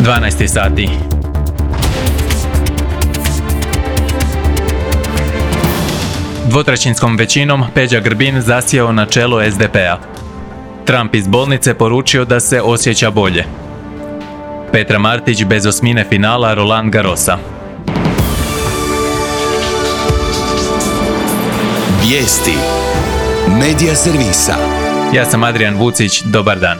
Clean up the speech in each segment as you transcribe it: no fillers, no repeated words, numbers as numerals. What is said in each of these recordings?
12 sati. Dvotrećinskom većinom Peđa Grbin zasjeo na čelo SDP-a. Trump iz bolnice poručio da se osjeća bolje. Petra Martić bez osmine finala Roland Garrosa. Vijesti Medija servisa. Ja sam Adrian Vucić, dobar dan.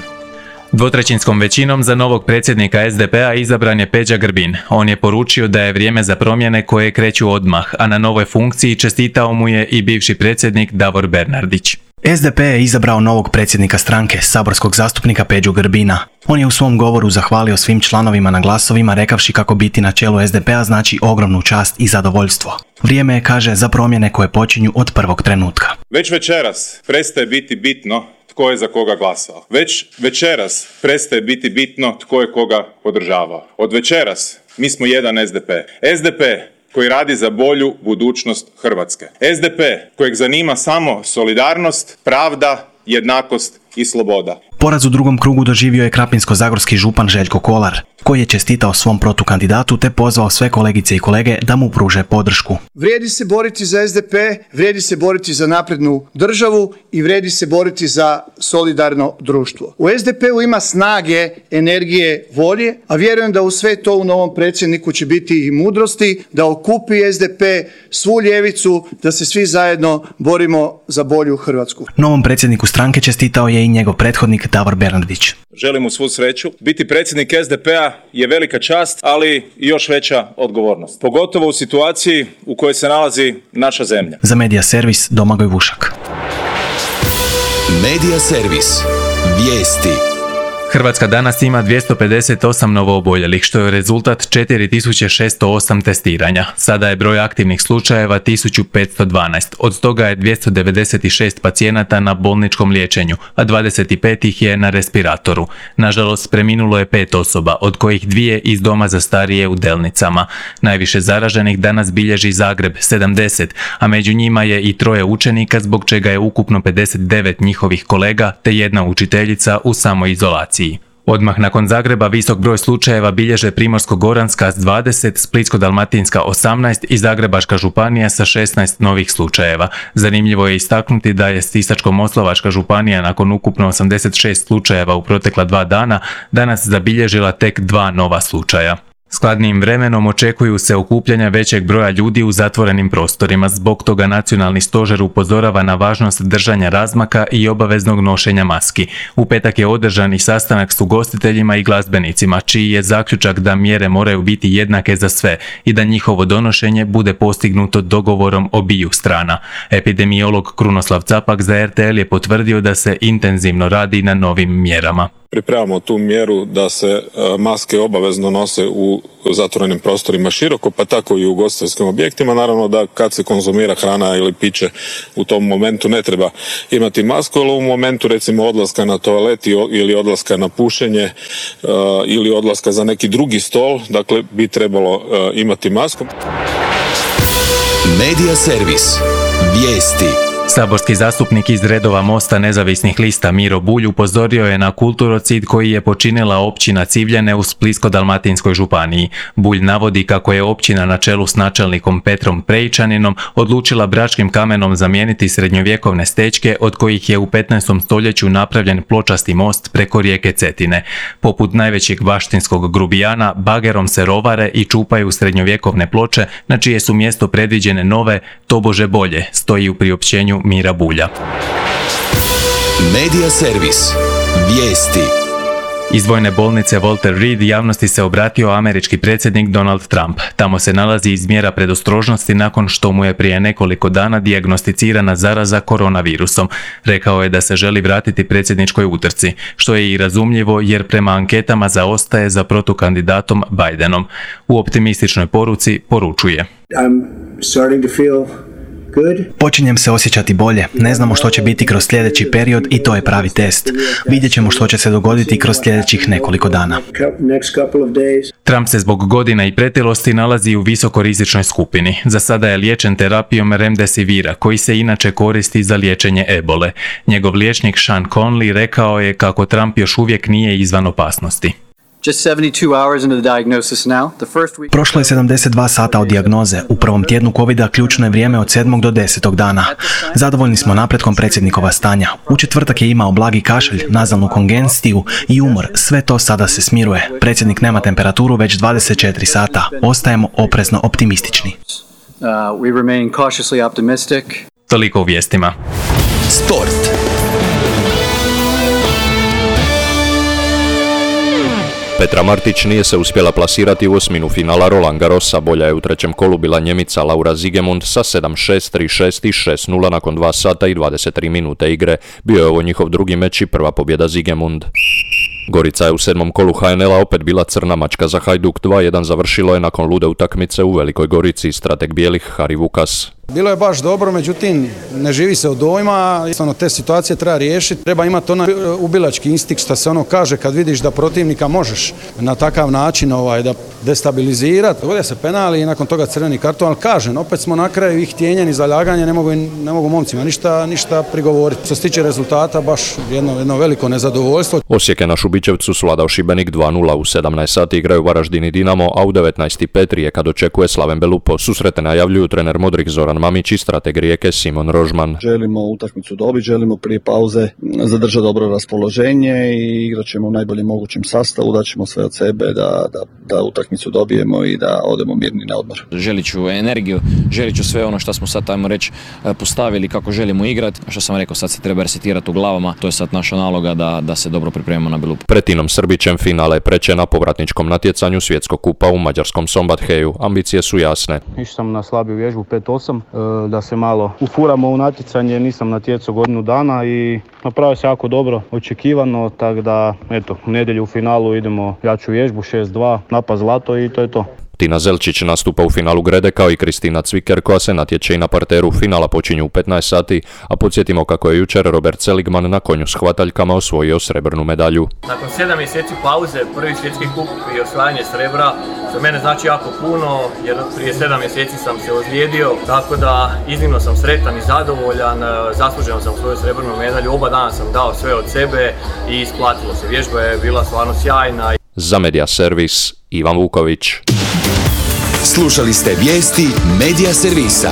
Dvotrećinskom većinom za novog predsjednika SDP-a izabran je Peđa Grbin. On je poručio da je vrijeme za promjene koje kreću odmah, a na novoj funkciji čestitao mu je i bivši predsjednik Davor Bernardić. SDP je izabrao novog predsjednika stranke, saborskog zastupnika Peđu Grbina. On je u svom govoru zahvalio svim članovima na glasovima, rekavši kako biti na čelu SDP-a znači ogromnu čast i zadovoljstvo. Vrijeme je, kaže, za promjene koje počinju od prvog trenutka. Već večeras prestaje biti bitno tko je za koga glasao. Već večeras prestaje biti bitno tko je koga podržavao. Od večeras mi smo jedan SDP. SDP koji radi za bolju budućnost Hrvatske. SDP kojeg zanima samo solidarnost, pravda, jednakost i sloboda. Poraz u drugom krugu doživio je krapinsko-zagorski župan Željko Kolar, koji je čestitao svom protukandidatu te pozvao sve kolegice i kolege da mu pruže podršku. Vrijedi se boriti za SDP, vrijedi se boriti za naprednu državu i vrijedi se boriti za solidarno društvo. U SDP-u ima snage, energije, volje, a vjerujem da u sve to u novom predsjedniku će biti i mudrosti da okupi SDP svu ljevicu, da se svi zajedno borimo za bolju Hrvatsku. Novom predsjedniku stranke čestitao je i njegov prethodnik Davor Bernardić. Želim mu svu sreću. Biti predsjednik SDP-a je velika čast, ali i još veća odgovornost. Pogotovo u situaciji u kojoj se nalazi naša zemlja. Za Medija servis Domagoj Vušak. Medija servis. Vijesti. Hrvatska danas ima 258 novooboljelih, što je rezultat 4608 testiranja. Sada je broj aktivnih slučajeva 1512. Od toga je 296 pacijenata na bolničkom liječenju, a 25 ih je na respiratoru. Nažalost, preminulo je 5 osoba, od kojih 2 iz doma za starije u Delnicama. Najviše zaraženih danas bilježi Zagreb, 70, a među njima je i 3 učenika, zbog čega je ukupno 59 njihovih kolega te 1 učiteljica u samoizolaciji. Odmah nakon Zagreba visok broj slučajeva bilježe Primorsko-goranska s 20, Splitsko-dalmatinska 18 i Zagrebačka županija sa 16 novih slučajeva. Zanimljivo je istaknuti da je Sisačko-moslavačka županija nakon ukupno 86 slučajeva u protekla 2 dana danas zabilježila tek 2 nova slučaja. Skladnijim vremenom očekuju se okupljanja većeg broja ljudi u zatvorenim prostorima. Zbog toga Nacionalni stožer upozorava na važnost držanja razmaka i obaveznog nošenja maski. U petak je održan i sastanak s ugostiteljima i glazbenicima, čiji je zaključak da mjere moraju biti jednake za sve i da njihovo donošenje bude postignuto dogovorom obiju strana. Epidemiolog Krunoslav Capak za RTL je potvrdio da se intenzivno radi na novim mjerama. Pripremamo tu mjeru da se maske obavezno nose u zatvorenim prostorima široko, pa tako i u ugostiteljskim objektima. Naravno da kad se konzumira hrana ili piće u tom momentu ne treba imati masku, ali u momentu recimo odlaska na toalet ili odlaska na pušenje ili odlaska za neki drugi stol, dakle bi trebalo imati masku. Medija servis. Vijesti. Saborski zastupnik iz redova Mosta nezavisnih lista Miro Bulj upozorio je na kulturocid koji je počinila općina Civljane u Splitsko-dalmatinskoj županiji. Bulj navodi kako je općina na čelu s načelnikom Petrom Prejičaninom odlučila bračkim kamenom zamijeniti srednjovjekovne stečke od kojih je u 15. stoljeću napravljen pločasti most preko rijeke Cetine. Poput najvećeg baštinskog grubijana, bagerom se rovare i čupaju srednjovjekovne ploče na čije su mjesto predviđene nove, tobože bolje, stoji u priopćenju Mira Bulja. Medija servis. Vijesti. Iz vojne bolnice Walter Reed javnosti se obratio američki predsjednik Donald Trump. Tamo se nalazi iz mjera predostrožnosti nakon što mu je prije nekoliko dana dijagnosticirana zaraza koronavirusom. Rekao je da se želi vratiti predsjedničkoj utrci, što je i razumljivo jer prema anketama zaostaje za protukandidatom Bidenom. U optimističnoj poruci poručuje: I'm starting to feel Počinjem se osjećati bolje. Ne znamo što će biti kroz sljedeći period i to je pravi test. Vidjet ćemo što će se dogoditi kroz sljedećih nekoliko dana. Trump se zbog godina i pretilosti nalazi u visokorizičnoj skupini. Za sada je liječen terapijom Remdesivira, koji se inače koristi za liječenje ebole. Njegov liječnik Sean Conley rekao je kako Trump još uvijek nije izvan opasnosti. Just 72 hours into the diagnosis now. The first week... Prošlo je 72 sata od dijagnoze. U prvom tjednu covida ključno je vrijeme od 7. do 10. dana. Zadovoljni smo napretkom predsjednikova stanja. U četvrtak je imao blagi kašelj, nazalnu kongenciju i umor. Sve to sada se smiruje. Predsjednik nema temperaturu već 24 sata. Ostajemo oprezno optimistični. We remain cautiously optimistic. Toliko u vijestima. Sport. Petra Martić nije se uspjela plasirati u osminu finala Roland Garrosa, bolja je u trećem kolu bila Njemica Laura Siegemund sa 7-6, 3-6 i 6-0 nakon 2 sata i 23 minute igre. Bio je ovo njihov drugi meč i prva pobjeda Siegemund. Gorica je u 7. kolu HNL-a opet bila crna mačka za Hajduk. 2-1 završilo je nakon lude utakmice u Velikoj Gorici, strateg bijelih Hari Vukas. Bilo je baš dobro, međutim ne živi se od dojma, jednostavno te situacije treba riješiti, treba imati onaj ubilački instinkt što se ono kaže kad vidiš da protivnika možeš na takav način da destabilizirati. Dogodio se penal i nakon toga crveni karton, ali kažem, opet smo na kraju ih htjenjeni zaljaganje, ne mogu momcima ništa prigovoriti. Što se tiče rezultata, baš jedno veliko nezadovoljstvo. Osijek je na Šubićevcu svladao Šibenik 2-0, u 17 sati igraju Varaždin i Dinamo, a u 19:05 Rijeka dočekuje Slaven Belupo. Susrete najavljuju trener Modrik Zoran Mamić i strateg Rijeke Simon Rožman. Želimo utakmicu dobiti, želimo prije pauze zadržati dobro raspoloženje i igrat ćemo u najboljem mogućem sastavu, daćemo sve od sebe da utakmicu dobijemo i da odemo mirni na odmor. Želit ću energiju, želit ću sve ono što smo sad, ajmo reći, postavili kako želimo igrati. A što sam rekao, sad se treba resetirati u glavama, to je sad naša naloga da se dobro pripremimo na Belupu. Pred Tinom Srbićem finale je preče na povratničkom natjecanju Svjetskog kupa u mađarskom Sombatheju. Ambicije su jasne. Išao sam na slabiju vježbu 5-8, da se malo ufuramo u natjecanje, nisam natjecao godinu dana i napravio se jako dobro, očekivano, tako da u nedjelju u finalu idemo jaču vježbu 6-2, napad zlato i to je to. Tina Zelčić nastupa u finalu Grede kao i Kristina Cviker koja se natječe i na parteru. Finala počinju u 15 sati, a podsjetimo kako je jučer Robert Seligman na konju s hvataljkama osvojio srebrnu medalju. Nakon 7 mjeseci pauze, prvi svjetski kup i osvajanje srebra za mene znači jako puno jer prije 7 mjeseci sam se ozlijedio, tako da iznimno sam sretan i zadovoljan, zasluženo sam svoju srebrnu medalju, oba dana sam dao sve od sebe i isplatilo se. Vježba je bila stvarno sjajna. Za Media Servis, Ivan Vuković. Slušali ste vijesti Media Servisa.